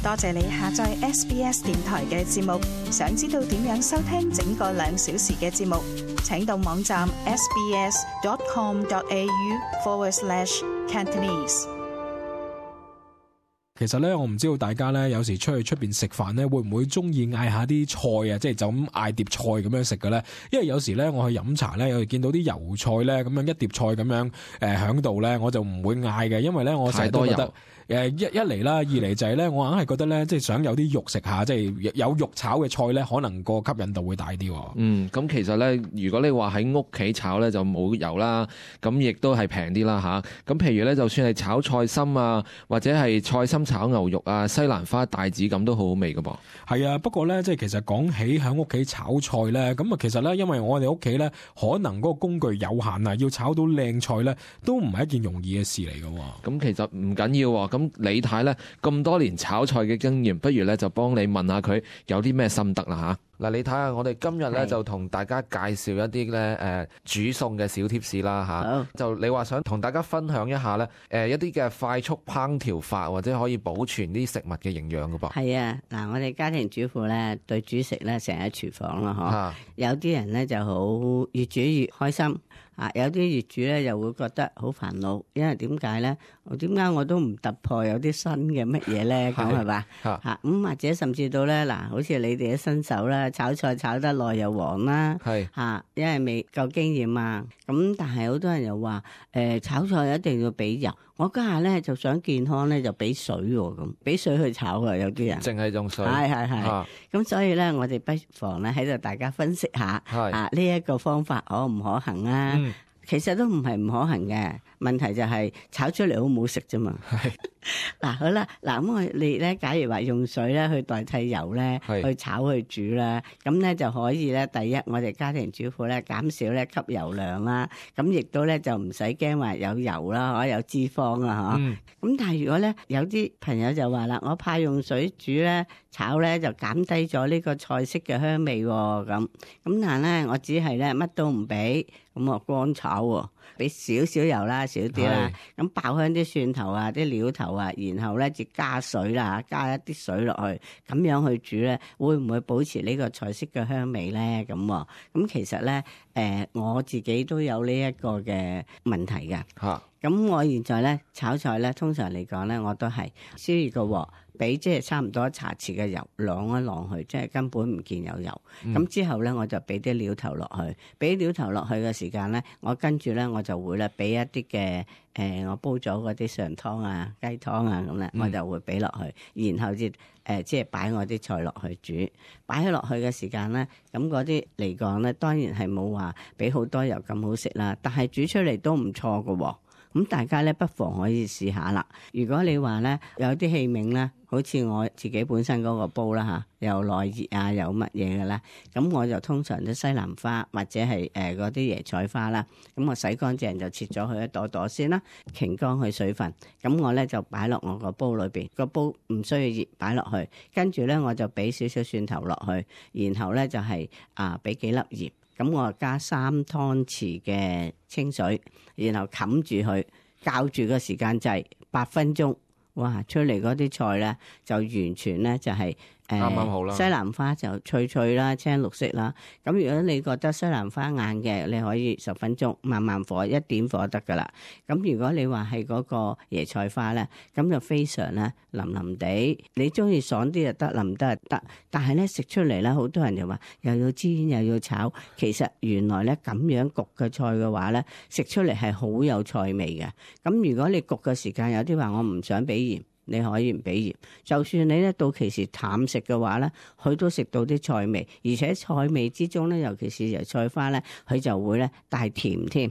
多謝你下載 SBS 電台嘅節目。想知道點樣收聽整個2小時嘅節目，請到網站 sbs.com.au/Cantonese。其實咧，我唔知道大家咧，有時出去出邊食飯咧，會唔會中意嗌下啲菜啊？即係就咁嗌碟菜咁樣食嘅咧？因為有時咧，我去飲茶咧，有時見到啲油菜咧，咁樣一碟菜咁樣響度咧，我就唔會嗌嘅，因為咧我成日都覺得一嚟啦，二嚟就係咧，我硬係覺得咧，即係想有啲肉食下，即係有肉炒嘅菜咧，可能個吸引度會大啲。咁其實咧，如果你話喺屋企炒咧，就冇油啦，咁亦都係平啲啦吓。咁譬如咧，就算係炒菜心啊，或者係菜心炒牛肉啊、西蘭花帶子咁都好好味噶噃。係啊，不過咧，即係其實講起喺屋企炒菜咧，咁啊，其實咧，因為我哋屋企咧，可能嗰個工具有限啊，要炒到靚菜咧，都唔係一件容易嘅事嚟噶。咁其實唔緊要喎。咁李太咧咁多年炒菜嘅經驗，不如咧就幫你問下佢有啲咩心得啦吓。嗱，你睇下，我哋今日咧就同大家介紹一啲咧煮餸嘅小貼士啦吓。就你話想同大家分享一下咧一啲嘅快速烹調法，或者可以保存啲食物嘅營養噶噃。係啊，嗱，我哋家庭主婦咧對煮食咧成日喺廚房啦，嗬。有啲人咧就好越煮越開心。有啲越煮咧又會覺得好煩惱，因為點解咧？點解我都唔突破有啲新嘅乜嘢咧？咁係嘛？咁或者甚至到咧嗱，好似你哋嘅新手啦，炒菜炒得耐又黃啦，因為未夠經驗啊。咁但係好多人又話炒菜一定要俾油，我家下咧就想健康咧就俾水喎，咁俾水去炒啊，有啲人淨係用水。係。咁所以咧，我哋不妨咧喺度大家分析下呢一個方法可唔可行啊？其實都唔係唔可行嘅，問題就係炒出嚟好唔好食啫嘛。嗱，好啦，嗱，咁我哋咧，假如話用水咧去代替油咧，去炒去煮啦，咁咧就可以咧，第一我哋家庭主婦咧減少咧吸油量啦，咁亦都咧就唔使驚話有油啦，有脂肪啊，咁但係如果咧有啲朋友就話啦，我怕用水煮咧炒咧就減低咗呢個菜式嘅香味喎，咁但係咧我只係咧乜都唔俾，咁我乾炒喎，俾少少油啦，少啲啦，咁爆香啲蒜頭啊，啲料頭啊，然後咧就加水啦，加一啲水落去，咁樣去煮咧，會唔會保持呢個菜式嘅香味咧？咁其實咧，我自己都有呢一個嘅問題㗎。咁我現在咧炒菜咧，通常嚟講咧，我都係燒熱個鑊，俾即係差唔多茶匙嘅油，晾一晾去，即係根本唔見有油。咁之後咧，我就俾啲料頭落去，俾料頭落去嘅時間咧，我跟住咧我就會咧俾一啲嘅我煲咗嗰啲上湯啊、雞湯啊咁咧，我就會俾落去，然後即係擺我啲菜落去煮，擺起落去嘅時間咧，咁嗰啲嚟講咧，當然係冇話俾好多油咁好食啦，但係煮出嚟都唔錯㗎喎。咁大家咧不妨可以試下啦。如果你話咧有啲器皿咧，好似我自己本身嗰個煲啦嚇，又耐熱啊，有乜嘢嘅啦，咁我就通常啲西蘭花或者係嗰啲椰菜花啦，咁我洗乾淨就切咗佢一朵朵先啦，擎乾佢水分，咁我咧就擺落我個煲裏邊，個煲唔需要熱，擺落去，跟住咧我就俾少少蒜頭落去，然後咧就係俾幾粒鹽。咁我加3湯匙嘅清水，然後冚住佢，校住個時間掣8分鐘，哇！出嚟嗰啲菜咧就完全咧就係啱啱好啦。西蘭花就脆脆啦，青綠色啦。咁如果你覺得西蘭花硬嘅，你可以10分鐘慢慢火，一點火得噶啦。咁如果你話係嗰個椰菜花咧，咁就非常咧腍腍地。你中意爽啲就得，腍得就得。但係咧食出嚟咧，好多人就話又要煎又要炒。其實原來咧咁樣焗嘅菜嘅話咧，食出嚟係好有菜味嘅。咁如果你焗嘅時間有啲話，我唔想俾鹽。你可以唔俾鹽，就算你咧到其時淡食嘅話咧，佢都食到啲菜味，而且菜味之中咧，尤其是椰菜花咧，佢就會咧帶甜添。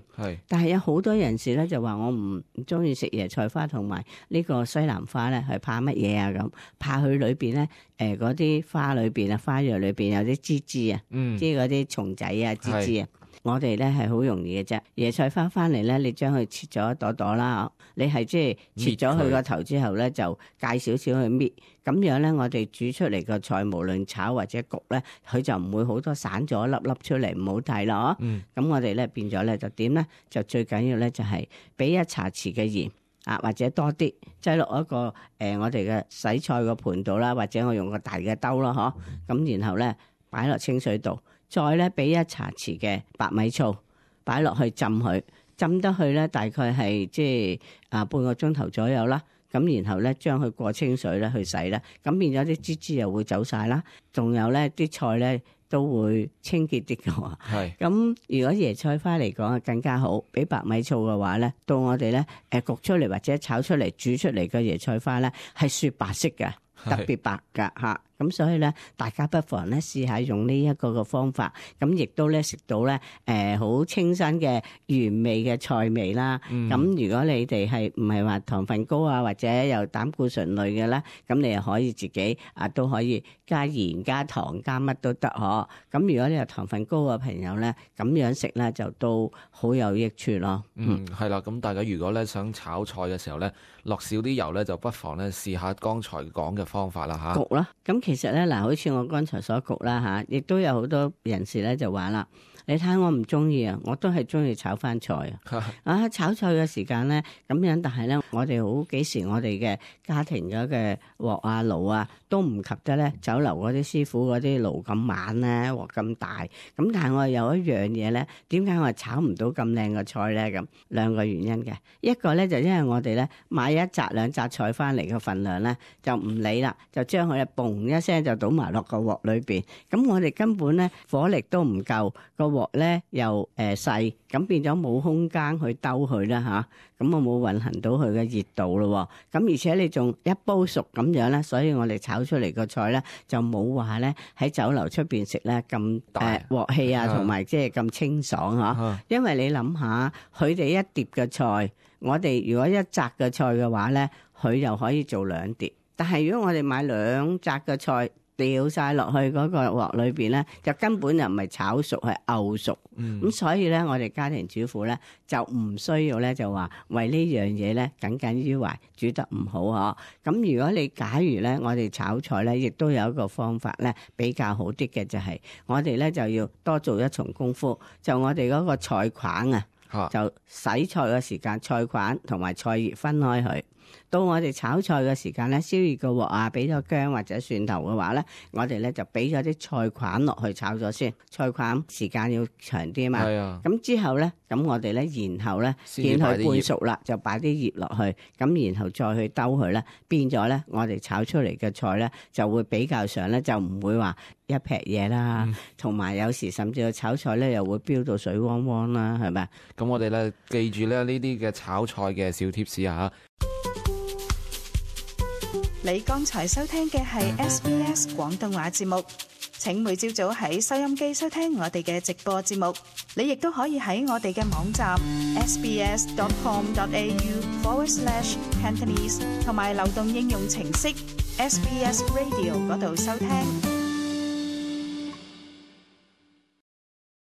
但係有好多人士咧就話我唔中意食椰菜花同埋呢個西蘭花咧，係怕乜嘢啊？咁怕佢裏邊咧嗰啲花裏邊啊，花藥裏邊有啲枝枝啊，即係嗰啲蟲仔啊、枝枝啊。我哋咧係好容易嘅啫，椰菜花翻嚟咧，你將佢切咗一朵朵啦，你係即係切咗佢個頭之後咧，就介少少去搣，咁樣咧我哋煮出嚟個菜，無論炒或者焗咧，佢就唔會好多散咗粒粒出嚟，唔好睇咯。咁我哋咧變咗咧就點咧？就最緊要咧就係俾1茶匙嘅鹽。或者多啲擠落一個我哋嘅洗菜個盤度啦，或者我用個大嘅兜啦，咁然後咧擺落清水度，再咧俾1茶匙嘅白米醋擺落去浸佢，浸得去咧大概係即係半個鐘頭左右啦。咁然後咧將佢過清水咧去洗啦，咁變咗啲脂質又會走晒啦，仲有咧啲菜咧都會清潔啲嘅喎。係。咁如果椰菜花嚟講啊更加好，俾白米醋嘅話咧，到我哋咧焗出嚟或者炒出嚟煮出嚟嘅椰菜花咧係雪白色嘅，特別白㗎嚇。咁所以咧，大家不妨咧試下用呢一個嘅方法，咁亦都咧食到咧好清新嘅原味嘅菜味啦。咁如果你哋係唔係話糖分高啊，或者有膽固醇類嘅咧，咁你又可以自己都可以加鹽、加糖、加乜都得嗬。咁如果你有糖分高嘅朋友咧，咁樣食咧就都好有益處咯。係啦，咁大家如果咧想炒菜嘅時候咧，落少啲油咧，就不妨咧試下剛才講嘅方法啦嚇。焗啦，咁其實咧嗱，好似我剛才所焗啦嚇，亦都有好多人士咧就話啦，你睇我唔中意啊，我都係中意炒翻菜啊！炒菜嘅時間咧咁樣，但係咧我哋好幾時我哋嘅家庭嘅鑊啊爐啊都唔及得咧酒樓嗰啲師傅嗰啲爐咁猛咧鑊咁大。咁但係我有一樣嘢咧，點解我炒唔到咁靚嘅菜咧？咁兩個原因嘅，一個咧就因為我哋咧買1紮2紮菜翻嚟嘅份量咧就唔理啦，就將佢嘣一聲就倒埋落個鑊裏邊，咁我哋根本咧火力都唔夠，個鑊咧又細，咁變咗冇空間去兜佢啦嚇，咁我冇運行到佢嘅熱度咯，咁而且你仲一煲熟咁樣咧，所以我哋炒出嚟個菜咧就冇話咧喺酒樓出邊食咧咁鑊氣啊，同埋即係咁清爽嚇，因為你諗下佢哋一碟嘅菜，我哋如果一紮嘅菜嘅話咧，佢又可以做2碟。但係如果我哋買2紮嘅菜掉晒落去嗰個鑊裏邊咧，就根本就唔係炒熟，係漚熟。咁所以咧，我哋家庭主婦咧就唔需要咧就話為呢樣嘢咧耿耿於懷，煮得唔好嗬。咁如果你假如咧，我哋炒菜咧，亦都有一個方法咧比較好啲嘅，就係我哋咧就要多做一重功夫，就我哋嗰個菜框啊，就洗菜嘅時間，菜框同埋菜葉分開佢。到我哋炒菜嘅時間咧，燒熱個鑊啊，俾咗薑或者蒜頭嘅話咧，我哋咧就俾咗啲菜框落去炒咗先，菜框時間要長啲嘛。係啊。咁之後咧，咁我哋咧，然後咧見佢半熟啦，就擺啲葉落去，咁然後再去兜佢咧，變咗咧，我哋炒出嚟嘅菜咧就會比較上咧，就唔會話一劈嘢啦，同埋有時甚至個炒菜咧又會飆到水汪汪啦，係咪？咁我哋咧記住咧呢啲嘅炒菜嘅小貼士啊！你剛才收聽嘅係 SBS 廣東話節目，請每朝早喺收音機收聽我哋嘅直播節目。你亦都可以喺我哋嘅網站 sbs.com.au/Cantonese 同埋流動應用程式 SBS Radio 嗰度收聽。